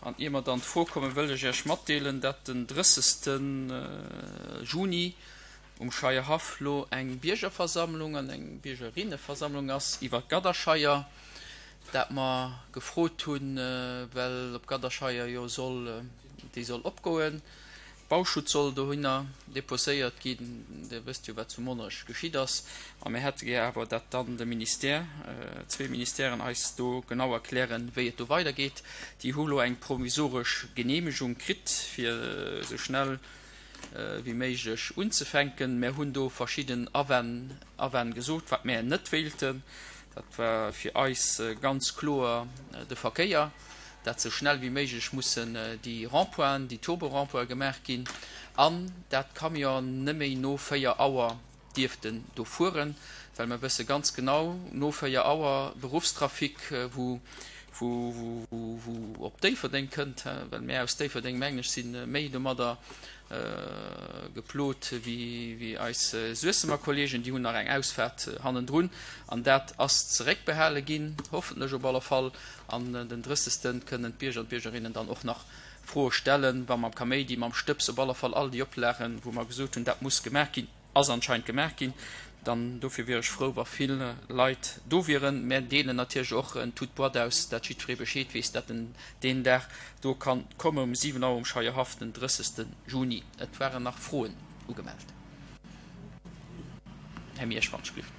An ier mer dann d'Fro kommen, wëll ech Iech matdeelen, dat den 30. Juni um Scheierhaff lo eng Biergerversammlung an eng Biergerinneversammlung ass iwwer d'Gadderscheier, dat mer gefrot hunn, well op d'Gadderscheier jo soll, déi soll opgoen. Bauschutt soll dohinner deposéiert ginn. Dir wësst jo, wat zu Monnerech geschitt ass. A mir hätte gär awer, datt dann de Ministère, zwee Ministèren eis do genau erklären, wéi et do weidergeet. Déi hu lo eng provisoresch Genehmegung kritt, fir esou schnell wéi méiglech unzefänken. Mär hunn do verschidden Awänn, Awänn gesot, wat mär net wéilten. Dat war fir eis ganz kloer de Verkéier. dat sou schnell wéi méiglech mussen déi Rond-pointen, déi Turbo-Rond-pointe gemaach ginn an dat d'Camionen net méi no 4 Auer dierften do fueren, well mer wësse ganz genau, no 4 Auer Beruffstrafic, wou wou wou op Déifferdeng kënnt, well mär aus Déifferdeng, mengen ech, si méi domadder geplot wéi eis Suessemer Kollegen, déi hunn nach eng Ausfahrt hannendrun an dat ass zeréckbehale ginn, hoffentlech op alle Fall. An den drëssegsten kënnen d'Bierger an d'Biergerinnen dann och nach Froe stellen, wa mam Kaméidi, mam Stëbs, op alle Fall all déi Oplagen, wou mer gesot hunn, dat muss gemaach ginn, ass anscheinend gemaach ginn. Dann dofir wier ech frou, wa vill Leit do wieren. Mär deelen natierlech och en toute boîte aus, dat jiddweree Bescheed weess, dat en deen Dag do kann kommen, um 7 Auer um Scheierhaff, den 30. Juni. Et waren nach Froen ugemellt. Här Miersch, wann ech glift.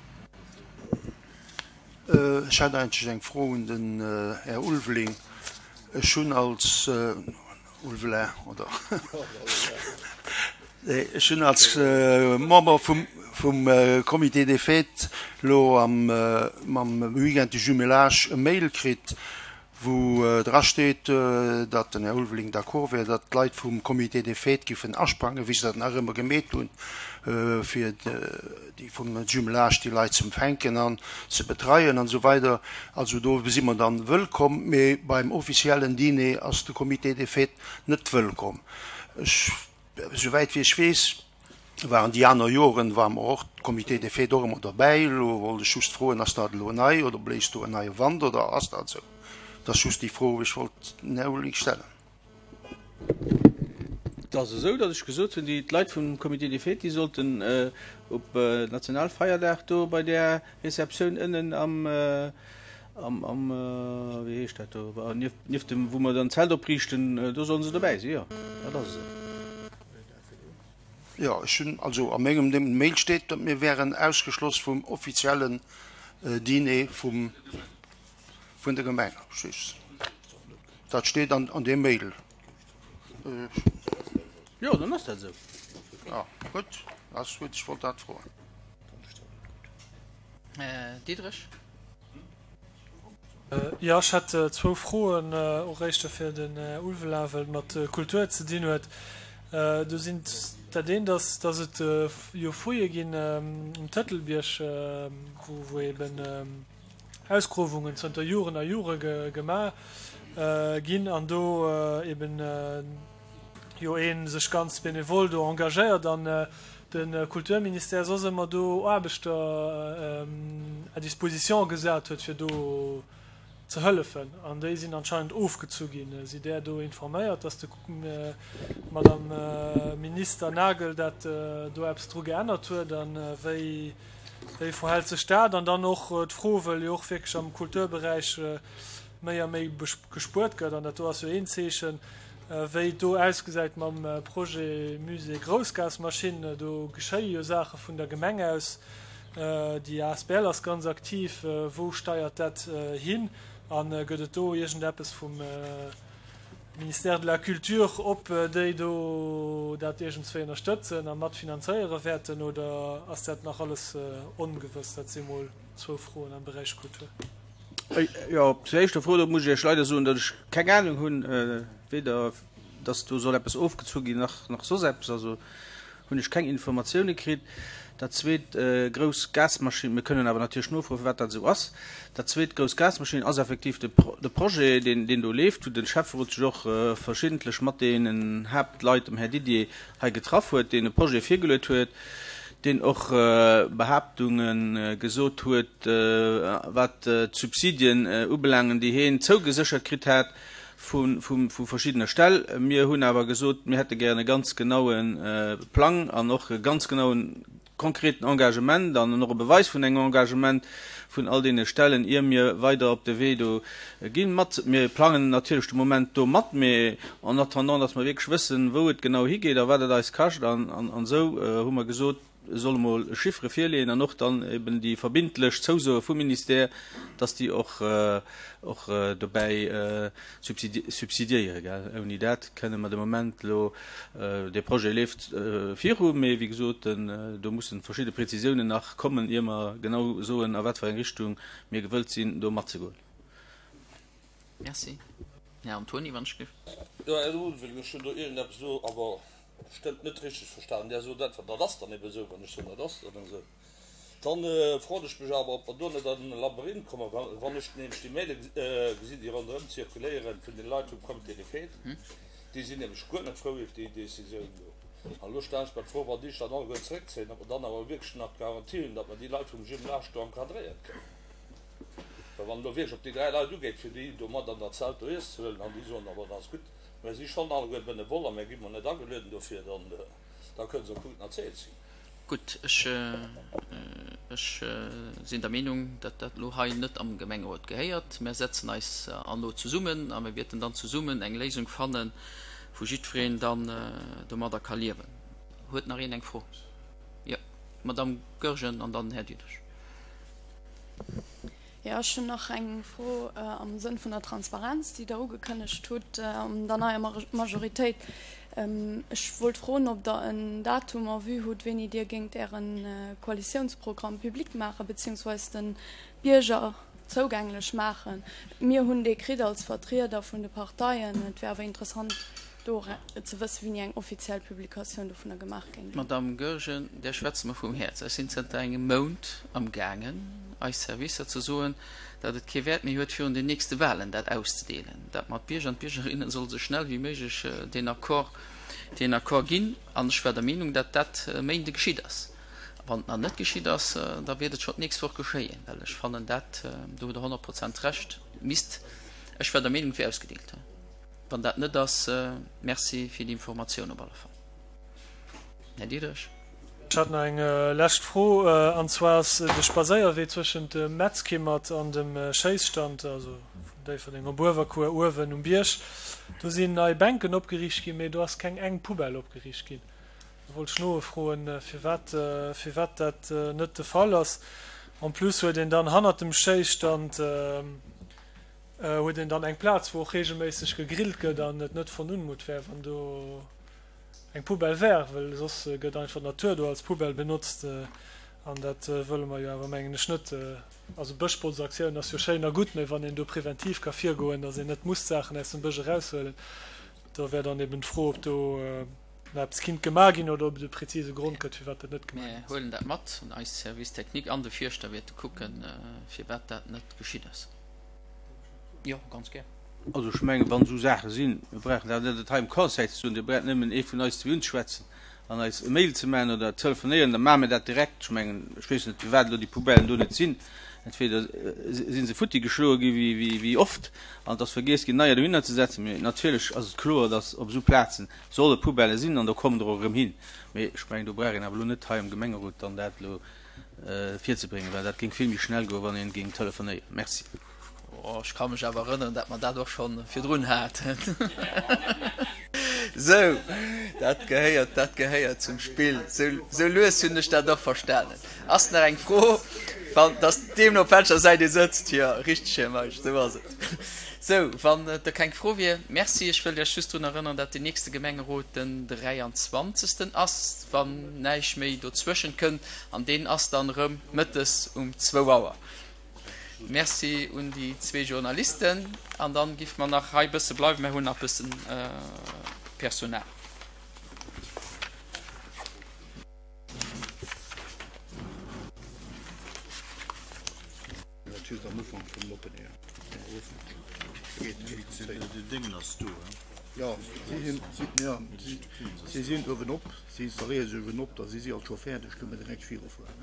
Ech hätt eigentlech eng Fro un den Här Ulveling. Ech hunn als Ulvelin, oder? Ech hunn als Member vum Comité des Fêtes elo am mam Weekend du Jumelage e Mail kritt, wou dra steet, datt den Här Ulveling d'accord wär, datt d'Leit vum Comité des Fêtes giffen asprangen, wéi se dat nach ëmmer gemeet hunn, fir déi vum Jumelage déi Leit ze empfänken an ze betreien an esou weider. Also do si mer dann wëllkomm, mee beim offiziellen Dîner ass de Comité des Fêtes net wëllkomm. Ech, esouwäit wéi ech weess, waren déi aner Joren, ware mer och, Comité des Fêtes och ëmmer derbäi. Elo wollt ech just froen, ass dat elo nei oder bléist do en neie Wand oder ass dat esou? Dat ass just déi Fro, wou ech wollt den Här Ulrich stellen. Et ass esou, datt ech gesot hunn, déi d'Leit vum Comité des Fêtes, déi sollten op Nationalfeierdag do bei där Receptioun ënnen am, am, am, wéi heescht dat do, nieft, nieft dem, wou mer dann d'Zelt opriichten, do sollen se dobäi sinn, jo, dat ass esou. Jo, ech hunn, also a mengem dem Mail steet, datt mir wären ausgeschloss vum offiziellen Dîner vum, vun der Gemeng. Dat steet an, an deem Mail. Jo, dann ass dat esou. Ja, gutt, ass gutt, ech wollt dat froen. Diderich. Jo, ech hätt zwou Froen, och éischter fir den Här Ulveling, well et mat Kultur ze dinn huet. Do sinn, dat eent ass, dass et jo Fouillë ginn um Tëtelbierg, wou eben Ausgruewungen zënter Joren a Jore gemaach ginn an do eben jo ee sech ganz benevol do engagéiert an de Kulturministère soss ëmmer do Aarbechter à disposition gesat huet fir do ze hëllefen an déi sinn anscheinend ofgezu ginn. Sidd Där do informéiert, datt de Madame Minister Nagel dat do eppes dru geännert huet a wéi wéi verhält sech dat? An dann och d'Fro, wëll jo och wierklech am Kulturberäich méi a méi gespuert gëtt, an dat do ass jo een Zeechen, Wéi et do ausgesäit mam Projet Musée Groussgasmaschinn, do geschéie jo Saache vun der Gemeng aus. Déi asbl ass ganz aktiv. Wou steiert dat hin? A gëtt et do iergendeppes vum Ministère de la Culture, ob déi do dat iergendswéi ënnerstëtzen a mat finanzéiere wäerten oder ass dat nach alles ongewëss? Dat si mol zwou Froen am Beräich Kultur. Jo, zur éischter Fro, do muss ech Iech leider soen, datt ech keng Anung hunn, weder datt do soll eppes ofgezu ginn, nach, nach soss eppes. Also hunn ech keng Informatioune kritt. Dat zweet, grouss Gasmaschinn, mir kënnen awer natierlech nofroen, firwat dat esou ass. Dat zweet, grouss Gasmaschinn ass effektiv de, de Projet, deen, deen do leeft, wou de Schäfferot sech och verschiddentlech mat deenen Haaptleit, dem Här Didier, hei getraff huet, deen e Projet virgeluet huet, deen och Behaaptunge gesot huet, wat d'Subsidien ubelaangen, déi hien zougeséchert kritt hat. Vu verschiddene Ställ. Mir hunn awer gesot, mir hätte gären e ganz genaue Plang an och e ganz genauen, konkreten Engagement an och e Beweis vun engem Engagement vun all deene Stellen, ier mir weider op de Wee do ginn. Mat, mir plangen natierlech de Moment do mat, mee en attendant, dass mer wierklech wëssen, wou et genau higeet a wat et eis kascht an esou, hu mer gesot, E soll emol Chiffere virleeën an och dann eben déi verbindlech Zousoe vum Ministère, dass déi och och dobäi subsidiéieren, gell. Ouni dat kënne mer de Moment elo, dee Projet leeft viru, mee wéi gesot, do mussen verschidde Prezisiounen nach kommen, ier mer genau soen, a wat fir eng Richtung mir gewëllt sinn, do matzegoen. Merci. Här Antoni, wann ech géif. Jo, Här Ulveling, ech hunn do iergendeppes elo awer bestëmmt net richteg verstanen. Där sot einfach, dat ass dann ebe esou. Wann ech soen, dat ass dann esou, dann froen ech mech awer, ob mer do net an e Labyrinth kommen, wann ech nämlech déi Maile gesinn, déi ronderëm zirkuléieren vun de Leit vum Comité des Fêtes. Déi sinn nämlech guer net frou iwwer déi Décisioun do. An elo stellen ech mer d'Fro, wann déi sech dann alleguer zeréckzéien, ob mer dann awer wierklech nach d'Garantie hunn, datt mer déi Leit vum Jumelage do encadréiert kréien. Well wann et elo wierklech op déi 3 Leit ugeet, fir déi do mat an dat Zelt do Iess ze huelen, an déi soen, aber dat ass gutt, mär si schonn alleguer benevol a mär gi mol net agelueden dofir, dann, da kënne se och gutt erzielt sinn. Gutt, ech, ech sinn der Meenung, datt dat elo hei net am Gemengerot gehéiert. Mär setzen eis an elo zesummen a mir wäerten dann zesummen eng Léisung fannen, wou jiddwereen dann domadder ka liewen. Huet nach een eng Fro? Jo, d'Madamm Goergen an dann den Här Diderich. Jo, ech hunn nach eng Fro am Sënn vun der Transparenz, déi Der ugekënnegt hutt an der neier Majoritéit. Ech wollt froen, ob Der en Datum en vue hutt, wéini Dir géingt Äre Koalitiounsprogramm public maachen, beziehungsweise de Bierger zougänglech maachen. Mir hunn dee kritt als Vertrieder vun de Parteien. Et wär awer interessant, do ze wëssen, wéini eng offiziell Publikatioun dovunner gemaach géing ginn. Madamm Goergen, där schwätze mer vum Häerz. Ech sinn zënter engem Mount am gaangen, eis Servicer ze soen, datt et kee Wäert méi huet, virun den nächste Wahlen dat auszedeelen, datt mer d'Bierger an d'Biergerinnen solle sou schnell wéi méiglech deen Accord, deen Accord ginn. An ech war der Meenung, datt dat e Méinde geschitt ass. Wann et nach net geschitt ass, da wäert et schonn d'nächst Woch geschéien, well ech fannen dat, do hutt Der 100 Prozent Recht, misst, ech war der Meenung, et wier ausgedeelt. Wann dat net ass, Merci fir déi Informatioun op alle Fall. Här Diderich. Ech hat nach eng lescht Fro, an zwar ass de Spadséierwee zwëschent dem Metzkimmert an dem Schéisstand, also vun Déifferdeng op Uewerkuer uewen um Bierg, do sinn nei Bänken opgeriicht ginn, mee do ass keng eng Poubelle opgeriicht ginn. Do wollt ech nofroen, firwat firwat dat net de Fall ass. En plus huet een dann hannert dem Schéisstand, huet een dann eng Plaz, wou och reegelméisseg gegrillt gëtt an et net von Unmut wär, wann do eng Poubelle wär, well soss gëtt einfach d'Natur do als Poubelle benotzt an dat wëlle mer jo awer, mengen ech, net. Also Bëschbotzaktioun ass jo schéin a gutt, mä wann een do preventiv ka virgoen, datt een net muss d'Saachen aus dem Bësch eraushuelen, da wär dann eben d'Fro, ob do nach eppes kinnt gemaach ginn oder ob et e präzise Grond gëtt, firwat dat net gemaach ginn ass. Mir huelen dat mat an eis Service technique an de Fierschter wäerte kucken, firwat dat net geschitt ass. Jo, ganz gär. Also ech mengen, wann esou Saache sinn, mir brauchen dat net hei am Conseil ze soen, Dir braucht nëmmen ee vun eis zwee unzeschwätzen an eis e Mail ze maachen oder telefonéieren, da maache mir dat direkt. Ech mengen, ech weess net, firwat elo déi Poubellen do net sinn. Entweder si se futti geschloe gi wéi wéi oft an et ass vergiess ginn, neier dohinner ze setzen. Mee natierlech ass et kloer, datt op esou Plaze solle Poubelle sinn an do kommen der och erëm hin. Mee ech mengen, do brauch een awer elo net hei am Gemengerot dann dat elo virzebréngen, well dat géing vill méi schnell goen, wann een géing telefonéieren. Merci. Oh, ech ka mech awer erënneren, dat mer dat och scho virdrun haten. Sou, dat gehéiert, dat gehéiert zum Spill. Sou, sou lues hunn ech dat och verstanen. Ass nach eng Fro? Wann, dass deemno op welcher Säit ee sëtzt. Jo, richteg, Här Meisch, sou ass et. Sou, wann et da keng Fro wier, Merci. Ech wëll Iech just drun erënneren, dat den nächste Gemengerot den 23. ass, wann näischt méi dozwëschent kënnt, an deen ass dann erëm mëttes um zwou Auer. Merci un déi zwee Journalisten. An dann giff mer nach hei bësse bleiwen, mer hunn nach bëssen Personal. Dat just am Ufank vum Open Air. Jo, si sinn uewen op, si installéiere sech uewen op, da si si alt scho fäerdeg, kënne mer direkt virufueren.